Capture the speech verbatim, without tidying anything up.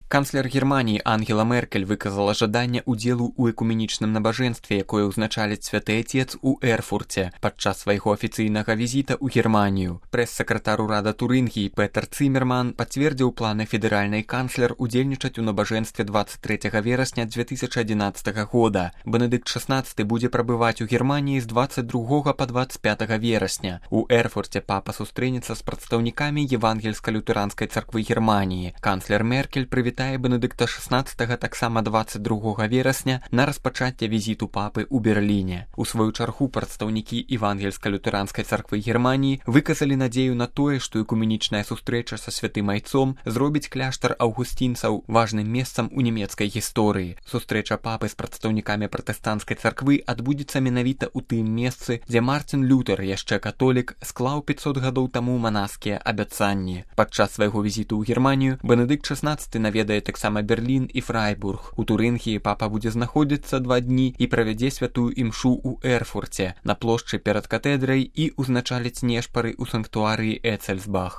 Канцлер Германии Ангела Меркель выказала жаданне ўдзелу ў экуменічным набажэнстве, якое ўзначаліць Святы Отец у Эрфурце падчас свайго афіцыйнага візіта ў Германію. Прэс-сакратар урада Турынгіі Петер Цымерман пацвердзіў планы федэральнай канцлер удзельнічаць у набажэнстве двадцать третьего верасня две тысячи одиннадцатого года. Бенедыкт шестнадцатый будзе прабываць у Германії з двадцать другого по двадцать пятого верасня. У Эрфурце папа сустрэнецца з прадстаўнікамі Евангельска-лютэранскай царквы Германії. Канцлер Меркель прывітае Бенедыкта шестнадцатого таксама двадцать другого верасня на распачацце візіту папы ў Берліне. У сваю чаргу прадстаўнікі Евангельска-лютэранскай царквы Германії выказалі надзею на тое, што экуменічная сустрэча са святым айцом зробіць кляштар аўгусцінцаў важным месцам у нямецкай гісторыі. Сустрэча папы з прадстаўнікамі пратэстанцкай царквы адбудзецца менавіта ў тым месцы, дзе Мартин Лютер, яшчэ католік, склаў пятьсот гадоў таму манаскія абяцанні. Падчас свайго візіту ў Германію Бенедыкт шестнадцатый наведае таксама Берлін і Фрайбург. У Турынгіі папа будзе знаходзіцца два дні і правядзе святую імшу ў Эрфурце на плошчы перад катэдрай і узначаліць нешпары ў санктуарыі Эцельсбах.